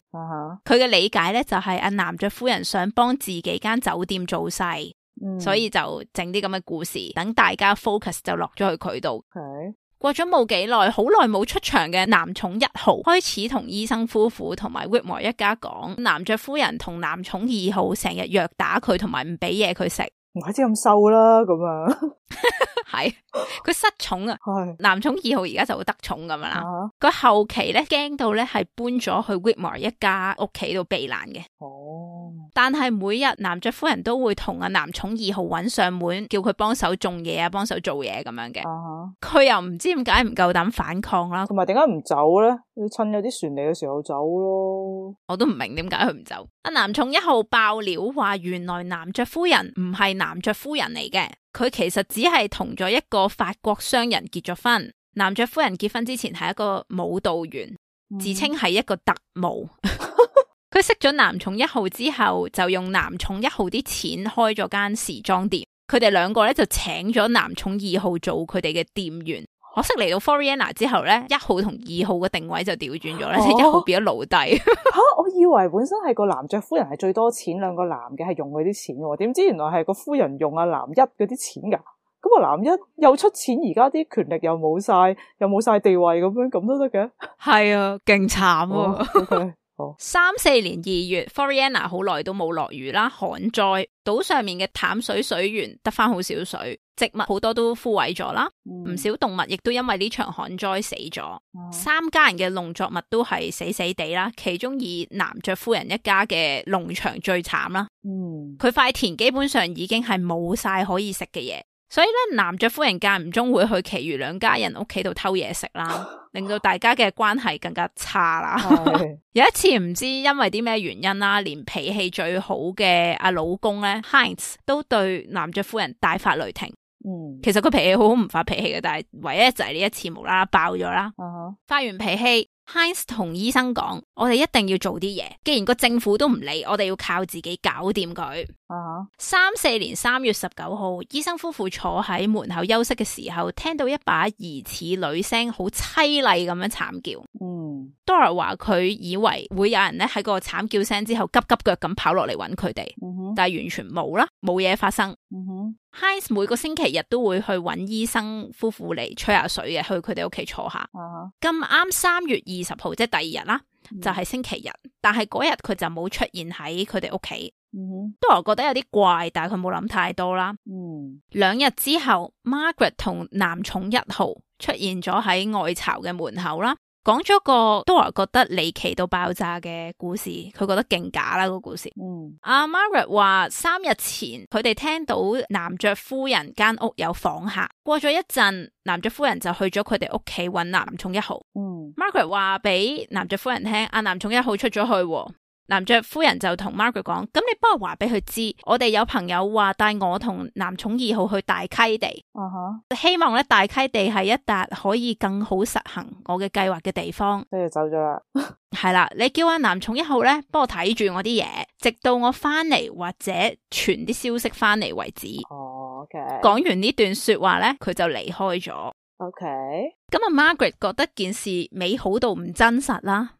佢嘅、uh huh. 理解咧就係阿男爵夫人想幫自己間酒店做勢，嗯、所以就整啲咁嘅故事，等大家 focus 就落咗去佢度。Okay. 過咗冇幾耐，好耐冇出場嘅男寵一號開始同醫生夫婦同埋 Whitmore 一家講，男爵夫人同男寵二號成日虐打佢，同埋唔俾嘢佢食。唔怪之咁瘦啦，咁啊，係佢失寵啊，男寵二號而家就會得寵咁樣啦。佢、啊、後期咧驚到咧係搬咗去 Whitmore 一家屋企度避難嘅。哦，但係每日男爵夫人都會同阿男寵二號揾上門，叫佢幫手種嘢啊，幫手做嘢咁樣嘅。佢、啊、又唔知點解唔夠膽反抗啦，同埋點解唔走咧？要趁有啲船嚟嘅時候走咯。我都唔明點解佢唔走。阿男寵一號爆料話，原來男爵夫人唔係男爵夫人嚟嘅，佢其實只係同咗一個法國商人結咗婚。男爵夫人結婚之前係一個舞蹈員，嗯、自稱係一個特務。佢識咗男寵一號之後，就用男寵一號啲錢開咗間時裝店。佢哋兩個咧就請咗男寵二號做佢哋嘅店員。可惜嚟到 Floriana 之後咧，一號同二號嘅定位就調轉咗咧，即係、哦、一號變咗奴隸。吓、啊，我以為本身係個男爵夫人係最多錢，兩個男嘅係用佢啲錢嘅，點知原來係個夫人用阿男一嗰啲錢噶。咁啊，男一又出錢，而家啲權力又冇晒，又冇晒地位咁樣，咁都得嘅。係啊，勁慘啊。哦 okay. 三四年二月 Floriana 好耐都冇落雨啦，旱災，島上面嘅淡水水源得翻好少水，植物好多都枯萎咗啦，唔、嗯、少動物亦都因為呢場旱災死咗。嗯、三家人嘅農作物都係死死地啦，其中以男爵夫人一家嘅農場最慘啦。佢塊、嗯、田基本上已經係冇晒可以食嘅嘢。所以咧，男爵夫人間唔中會去其餘兩家人屋企度偷嘢食啦，令到大家嘅關係更加差啦。有一次唔知因為啲咩原因啦，連脾氣最好嘅阿老公咧 Heinz 都對男爵夫人大發雷霆。嗯，其實佢脾氣好好，唔發脾氣嘅，但係唯一就係呢一次無啦啦爆咗啦。Uh-huh. 發完脾氣。Heinz 同醫生講，我哋一定要做啲嘢，既然個政府都唔理，我哋要靠自己搞掂佢。Uh-huh. 三四年三月十九號，醫生夫婦坐喺門口休息嘅時候，聽到一把疑似女聲，好淒厲咁樣慘叫。嗯、uh-huh.，Dora 話佢以為會有人咧喺個慘叫聲之後急急腳咁跑落嚟揾佢哋，uh-huh. 但係完全冇啦，冇嘢發生。Uh-huh. Heinz 每個星期日都會去揾醫生夫婦嚟吹下水嘅，去佢哋屋企坐下。咁啱三月二十號即係第二日啦，嗯、就係星期日，但係嗰日佢就冇出現喺佢哋屋企。Dora、嗯、覺得有啲怪，但係佢冇諗太多啦。嗯、兩日之後 Margaret 同男寵一號出現咗喺外巢嘅門口啦。講咗個 Dora 覺得離奇到爆炸嘅故事，佢覺得勁假啦、個故事。嗯，阿、啊、Margaret 話三日前佢哋聽到男爵夫人間屋有訪客，過咗一陣，男爵夫人就去咗佢哋屋企揾男寵一號。嗯 ，Margaret 話俾男爵夫人聽，阿男寵一號出咗去。男爵夫人就同 Margaret 講，咁你幫我話俾佢知，我哋有朋友話帶我同男寵二號去大溪地，uh huh. 希望咧大溪地係一笪可以更好實行我嘅計劃嘅地方。跟住走咗啦。係啦，你叫阿男寵一號咧幫我睇住我啲嘢，直到我翻嚟或者傳啲消息翻嚟為止。哦、oh,，OK。講完呢段說話咧，佢就離開咗。OK。咁啊 ，Margaret 覺得件事美好到唔真實啦。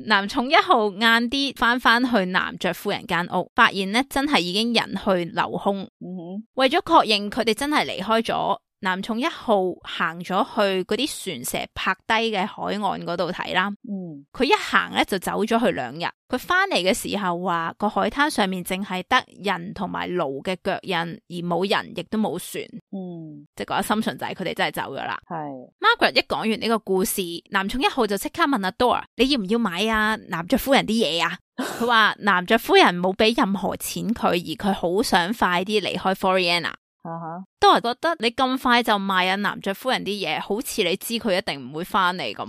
男寵一號晏啲翻翻去男爵夫人間屋，發現咧真係已經人去樓空。嗯哼，為咗確認佢哋真係離開咗，男寵一號行咗去嗰啲船蛇泊低嘅海岸嗰度睇啦。嗯，佢一行咧就走咗去兩日。佢翻嚟嘅時候話個海灘上面淨係得人同埋驢嘅腳印，而冇人亦都冇船。嗯，即係嗰個心順就係佢哋真係走咗啦。係 Margaret 一講完呢個故事，男寵一號就即刻問阿 Dora， 你要唔要買啊男爵夫人啲嘢啊？佢話男爵夫人冇俾任何錢佢，而佢好想快啲離開 Floriana。哈，都係覺得你咁快就賣阿男爵夫人啲嘢，好似你知佢一定唔會翻嚟咁，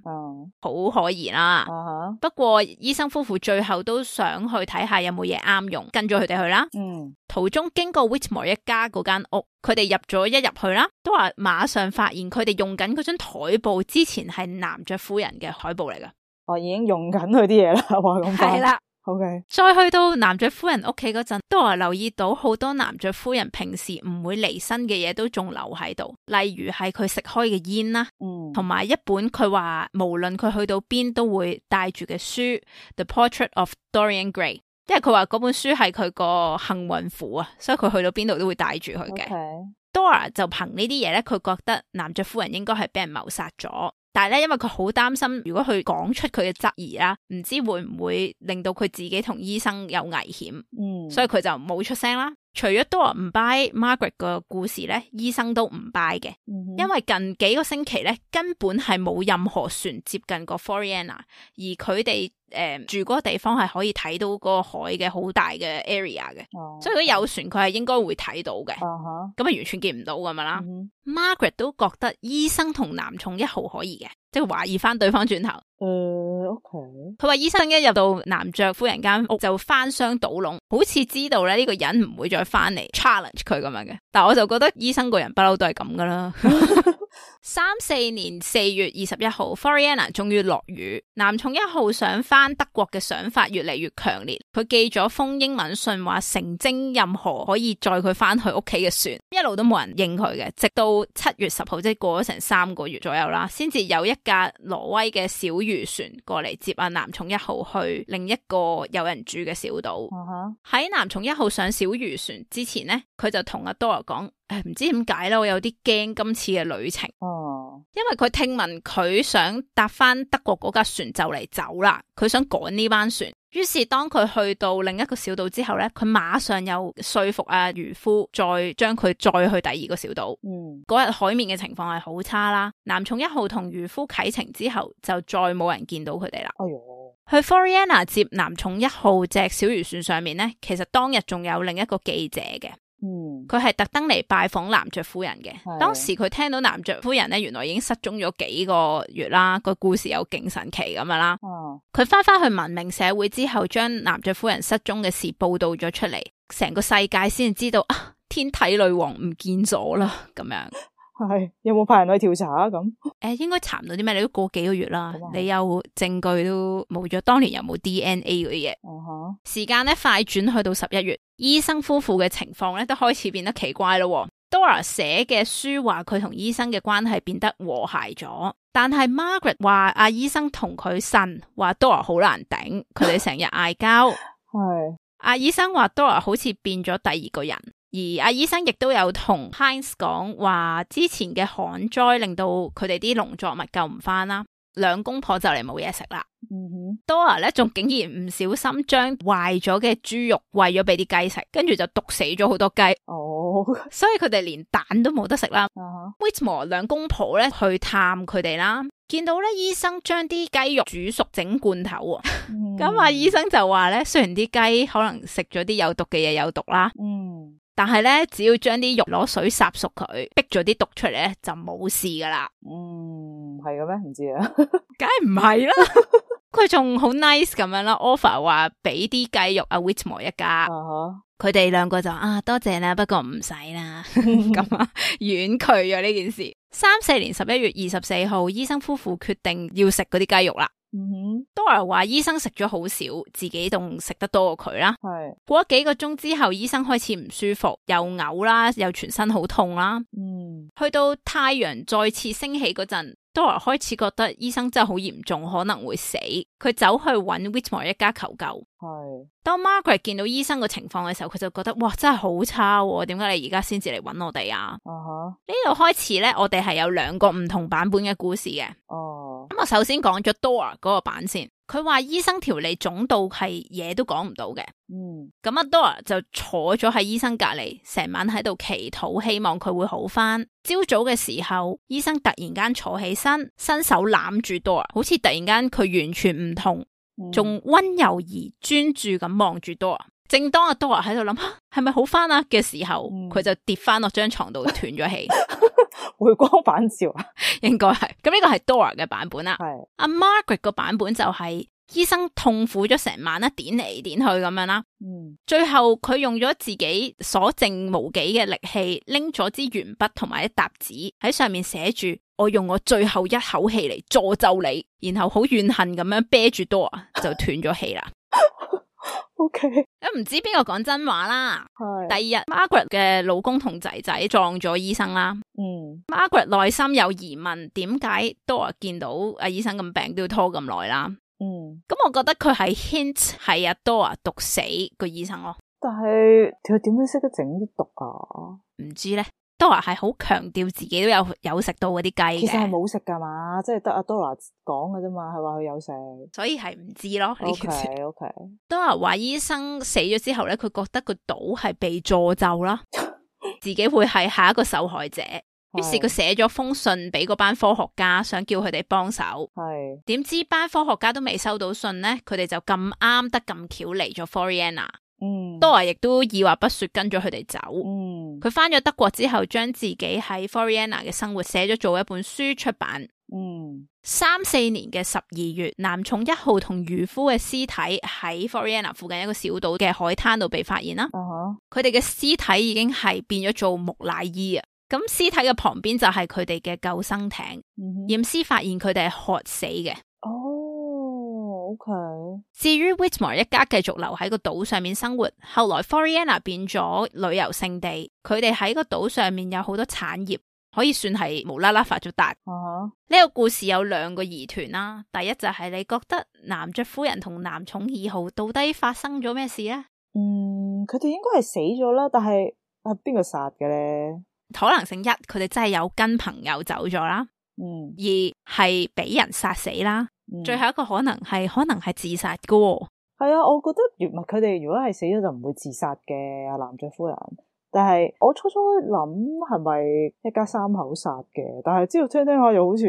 嗯，好可疑啦。啊、不過醫生夫婦最後都想去睇下有冇嘢啱用，跟咗佢哋去啦。嗯，途中經過 Whitmore 一家嗰間屋，佢哋入咗一入去啦，都話馬上發現佢哋用緊嗰張台布之前係男爵夫人嘅台布嚟噶。我、哦、已經用緊佢啲嘢啦，話咁快。係啦。OK，再去到男爵夫人屋企嗰陣，都係留意到好多男爵夫人平時唔會離身嘅嘢都仲留喺度，例如係佢食開嘅煙啦，嗯，同埋一本佢話無論佢去到邊都會帶住嘅書 The Portrait of Dorian Gray， 因為佢話嗰本書係佢個幸運符啊，所以佢去到邊度都會帶住佢嘅。Okay. Dora 就憑呢啲嘢咧，佢覺得男爵夫人應該係俾人謀殺咗。但係咧，因為佢好擔心，如果佢講出佢嘅質疑啦，唔知會唔會令到佢自己同醫生有危險，嗯，所以佢就冇出聲啦。除咗 Dora 唔 buy Margaret 個故事咧，醫生都唔 buy 嘅，嗯，因為近幾個星期咧根本係冇任何船接近過 Floriana， 而佢哋誒住嗰個地方係可以睇到嗰個海嘅好大嘅 area 嘅，哦，所以如果有船佢係應該會睇到嘅，咁啊完全見唔到咁樣啦。嗯、Margaret 都覺得醫生同男寵一號可疑嘅，即係懷疑翻對方轉頭。誒、呃、，OK。佢話醫生一入到男爵夫人間屋就翻箱倒籠，好似知道咧呢個人唔會再翻嚟 challenge 佢咁樣嘅。但係我就覺得醫生個人不嬲都係咁噶啦。三四年四月二十一號 Floriana 終於落雨，男寵一號想翻德國嘅想法越嚟越強烈。佢寄咗封英文信話誠徵任何可以載佢翻去屋企嘅船，一路都冇人應佢嘅，直到七月十號，即係過咗成三個月左右啦，先至有一架挪威嘅小漁船過嚟接阿男寵一號去另一個有人住嘅小島。喺、uh-huh. 男寵一號上小漁船之前呢，佢就同阿 Dora 講，誒，唔知點解啦，我有啲驚今次嘅旅程。哦，因為佢聽聞佢想搭翻德國嗰架船就嚟走啦，佢想趕呢班船。於是當佢去到另一個小島之後咧，佢馬上又說服阿漁夫再將佢載去第二個小島。嗯，嗰日海面嘅情況係好差啦。男寵一號同漁夫啟程之後，就再冇人見到佢哋啦。哎喲，去 Floriana 接男寵一號隻小漁船上面咧，其實當日仲有另一個記者嘅。嗯，佢係特登嚟拜訪男爵夫人嘅。當時佢聽到男爵夫人咧，原來已經失蹤咗幾個月啦，個故事有勁神奇咁樣啦。哦，佢翻翻去文明社會之後，將男爵夫人失蹤嘅事報道咗出嚟，成個世界先知道啊，天體女王唔見咗啦，咁樣。係，有冇派人去調查啊？咁誒，應該查唔到啲咩，你都過幾個月啦，你有證據都冇咗，當年有冇 D N A 嗰啲嘢？哦，時間咧快轉去到十一月，醫生夫婦嘅情況咧都開始變得奇怪咯。Dora 寫嘅書話佢同醫生嘅關係變得和諧咗，但係 Margaret 話阿醫生同佢呻，話 Dora 好難頂，佢哋成日嗌交。係，阿醫生話 Dora 好似變咗第二個人。而阿醫生亦都有同 Heinz 講話，之前嘅旱災令到佢哋啲農作物救唔翻啦，兩公婆就嚟冇嘢食啦。嗯哼 Dora 咧仲竟然唔小心將壞咗嘅豬肉餵咗俾啲雞食，跟住就毒死咗好多雞。哦，所以佢哋連蛋都冇得食啦。Uh-huh. Whitmore 兩公婆咧去探佢哋啦，見到咧醫生將啲雞肉煮熟整罐頭。咁阿、嗯、醫生就話咧，雖然啲雞可能食咗啲有毒嘅嘢有毒啦。嗯。但係咧，只要將啲肉攞水烚熟佢，逼咗啲毒出嚟咧，就冇事噶啦。嗯，係嘅咩？唔知啊，梗係唔係啦。佢仲好 nice 咁樣啦 ，offer 話俾啲雞肉阿 Whitmore 一家。佢哋兩個就啊，多謝啦，不過唔使啦。咁啊，婉拒咗呢件事。三四年十一月二十四號，醫生夫婦決定要食嗰啲雞肉啦。嗯哼 Dora 話醫生食咗好少，自己仲食得多過佢啦。係過咗幾個鐘之後，醫生開始唔舒服，又嘔啦，又全身好痛啦。嗯，去到太陽再次升起嗰陣，Dora 開始覺得醫生真係好嚴重，可能會死。佢走去搵 Whitmore 一家求救。係當 Margaret 見到醫生個情況嘅時候，佢就覺得哇，真係好差喎！點解你而家先至嚟搵我哋啊？呢、uh-huh. 度開始咧，我哋係有兩個唔同版本嘅故事嘅。哦，咁我首先講咗 Dora 嗰個版先。佢話醫生條脷腫到係嘢都講唔到嘅。嗯，咁阿 Dora 就坐咗喺醫生隔籬，成晚喺度祈禱，希望佢會好翻。朝早嘅時候，醫生突然間坐起身，伸手攬住 Dora，好似突然間佢完全唔同，仲溫柔而專注咁望住 Dora。正當阿 Dora 喺度諗係咪好翻啊嘅時候，佢、嗯、就跌翻落張床度斷咗氣。回光返照啊，應該係。咁呢個係 Dora 嘅版本啦。係阿 Margaret 個版本就係、是、醫生痛苦咗成晚啦，點嚟點去咁樣啦。嗯，最後佢用咗自己所剩無幾嘅力氣，拎咗支鉛筆同埋一沓紙喺上面寫住我用我最後一口氣嚟詛咒你，然後好怨恨咁樣啤住 Dora 就斷咗氣啦。O K， 咁唔知邊個講真話啦。係第二日 Margaret 嘅老公同仔仔撞咗醫生啦。嗯 Margaret 內心有疑問，點解 Dora 見到阿醫生咁病都要拖咁耐啦？嗯，咁我覺得佢係 hint 係阿 Dora 毒死個醫生咯。但係佢點樣識得整啲毒啊？唔知咧。Dora 係好強調自己都有有食到嗰啲雞嘅，其實係冇食噶嘛，即係得阿 Dora 講嘅啫嘛，係話佢有食，所以係唔知咯。O K O K。Dora 話醫生死咗之後咧，佢覺得個島係被詛咒啦，自己會係下一個受害者。於是佢寫咗封信俾嗰班科學家，想叫佢哋幫手。係點知班科學家都未收到信咧，佢哋就咁啱得咁巧嚟咗 Floriana。嗯Dora 亦都二話不說跟咗佢哋走。嗯，佢翻咗德國之後，將自己喺 Floriana 嘅生活寫咗做一本書出版。嗯，三四年嘅十二月，男寵一號同漁夫嘅屍體喺 Floriana 附近一個小島嘅海灘度被發現啦。佢哋嘅屍體已經係變咗做木乃伊啊！咁屍體嘅旁邊就係佢哋嘅救生艇。驗屍、嗯、發現佢哋係渴死嘅。哦，OK。至於 Whitmore 一家繼續留喺個島上面生活，後來 Floriana 變咗旅遊勝地，佢哋喺個島上面有好多產業，可以算係無啦啦發咗達。呢、uh-huh. 個故事有兩個疑團啦，第一就係你覺得男爵夫人同男寵二號到底發生咗咩事呢？嗯，佢哋應該係死咗啦，但係係邊個殺嘅咧？可能性一，佢哋真係有跟朋友走咗啦。嗯，二係俾人殺死啦。嗯、最後一個可能係可能係自殺噶、哦。係啊，我覺得如唔係佢哋如果係死咗就唔會自殺嘅阿男爵夫人。但係我初初諗係咪一家三口殺嘅？但係之後聽聽下又好似，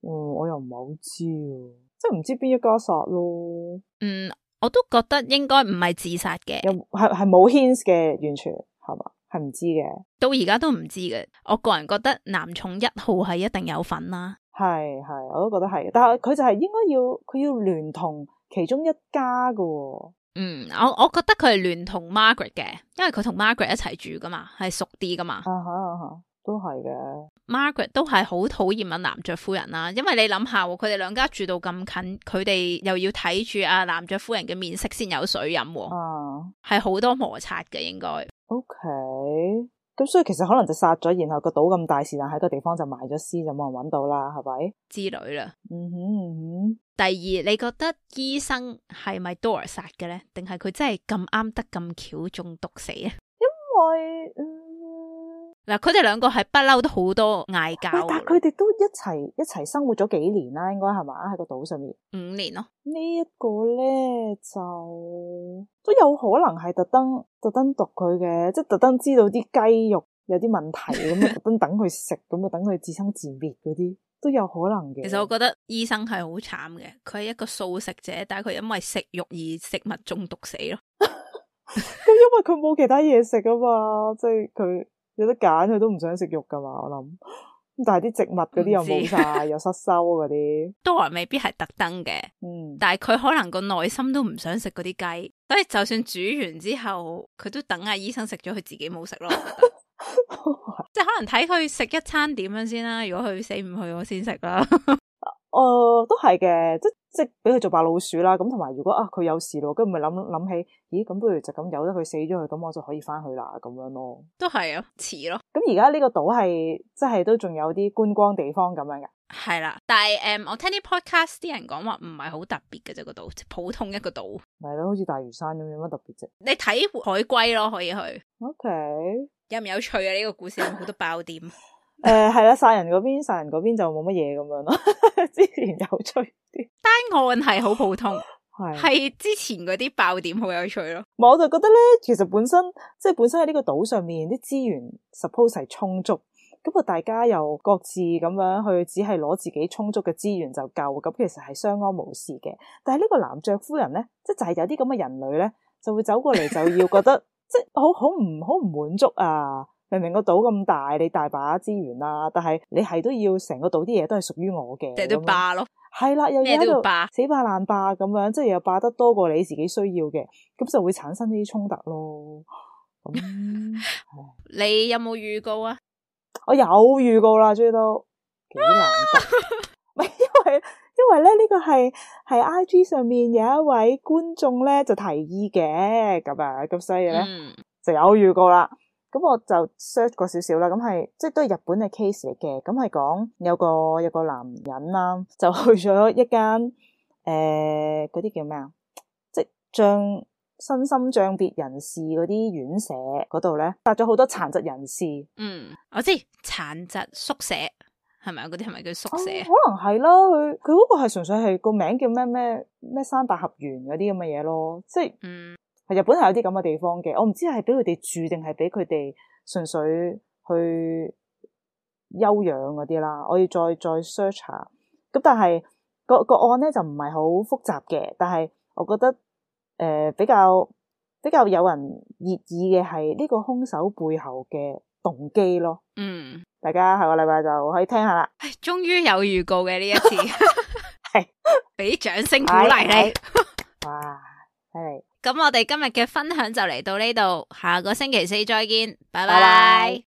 嗯，我又唔係好知，即係唔知邊一家殺咯。嗯，我都覺得應該唔係自殺嘅，又係係冇 hints 嘅，完全係嘛？係唔知嘅，到而家都唔知嘅。我個人覺得男寵一號係一定有份啦。係係，我都覺得係，但係佢就係應該要佢要聯同其中一家噶、哦。嗯，我我覺得佢係聯同 Margaret 嘅，因為佢同 Margaret 一齊住噶嘛，係熟啲噶嘛。啊哈啊哈，都係嘅。Margaret 都係好討厭阿男爵夫人啦，因為你諗下，佢哋兩家住到咁近，佢哋又要睇住阿男爵夫人嘅面色先有水飲，啊，係好多摩擦嘅應該。OK。咁所以其實可能就殺咗，然後個島咁大，是但喺個地方就埋咗屍，就冇人揾到啦，係咪？之類啦。嗯哼嗯哼。第二，你覺得醫生係咪 Dora 殺嘅咧？定係佢真係咁啱得咁巧中毒死啊？因為嗱，佢哋兩個係不嬲都好多嗌交，但係佢哋都一齊一齊生活咗幾年啦，應該係嘛？喺個島上面五年咯。這個呢一個咧就都有可能係特登特登毒佢嘅，即係特登知道啲雞肉有啲問題咁啊，特登等佢食咁啊，等佢自生自滅嗰啲都有可能嘅。其實我覺得醫生係好慘嘅，佢係一個素食者，但係佢因為食肉而食物中毒死咯。咁因為佢冇其他嘢食啊嘛，即係佢有得揀，佢都唔想食肉噶嘛，我諗。但係啲植物嗰啲又冇晒，又失收嗰啲。Dora未必係特登嘅，嗯，但係佢可能個內心都唔想食嗰啲雞，所以就算煮完之後，佢都等阿醫生食咗，佢自己冇食咯。即係可能睇佢食一餐點樣先啦。如果佢死唔去，我先食啦。誒、呃，都係嘅，即即俾佢做白老鼠啦。咁同埋，如果啊佢有事咯，跟住咪諗諗起，咦咁不如就咁由得佢死咗佢，咁我就可以翻去啦，咁樣咯。都係啊，似咯。咁而家呢個島係即係都仲有啲觀光地方咁樣嘅。係啦，但係誒、嗯，我聽啲 podcast 啲人講話唔係好特別嘅啫，個島普通一個島。係咯，好似大嶼山咁，有乜特別啫？你睇海龜咯，可以去。OK，有唔有趣啊？呢、這個故事有好多爆點。誒、呃，係啦，殺人嗰邊，殺人嗰邊就冇乜嘢咁樣咯。之前有趣啲，單案係好普通，係係之前嗰啲爆點好有趣咯。我就覺得咧，其實本身即係本身喺呢個島上面啲資源 suppose 係充足，咁啊大家又各自咁樣去，只係攞自己充足嘅資源就夠，咁其實係相安無事嘅。但係呢個男爵夫人咧，即係就係有啲咁嘅人類咧，就會走過嚟就要覺得即係好好唔好唔滿足啊！明明個島咁大，你大把資源啦，但係你係都要成個島啲嘢都係屬於我嘅，即係都霸咯。係啦，又要喺度霸死霸爛霸咁樣，即係又霸得多過你自己需要嘅，咁就會產生呢啲衝突咯。咁你有冇預告啊？我有預告啦，終於都幾難得，唔係因為因為咧呢、這個係係 I G 上面有一位觀眾咧就提議嘅，咁啊咁所以咧、嗯、就有預告啦。咁我就 search 過少少啦，咁係即係都係日本嘅 case 嚟嘅。咁係講有個有個男人啦，就去咗一間誒嗰啲叫咩啊，即係將身心障別人士嗰啲院舍嗰度咧，搭咗好多殘疾人士。嗯，我知殘疾宿舍係咪啊？嗰啲係咪叫宿舍？哦、可能係啦，佢佢嗰個係純粹係個名叫咩咩咩山百合園嗰啲咁嘅嘢咯，即係嗯。日本係有啲咁嘅地方嘅，我唔知係俾佢哋住定係俾佢哋純粹去休養嗰啲啦。我要再再 search 下。咁但係個個案咧就唔係好複雜嘅，但係我覺得誒、呃、比較比較有人熱議嘅係呢個兇手背後嘅動機咯。嗯，大家下個禮拜就可以聽下啦。終於有預告嘅呢一次，係俾掌聲鼓勵你。哇，犀利！咁我哋今日嘅分享就嚟到呢度，下個星期四再見，拜拜。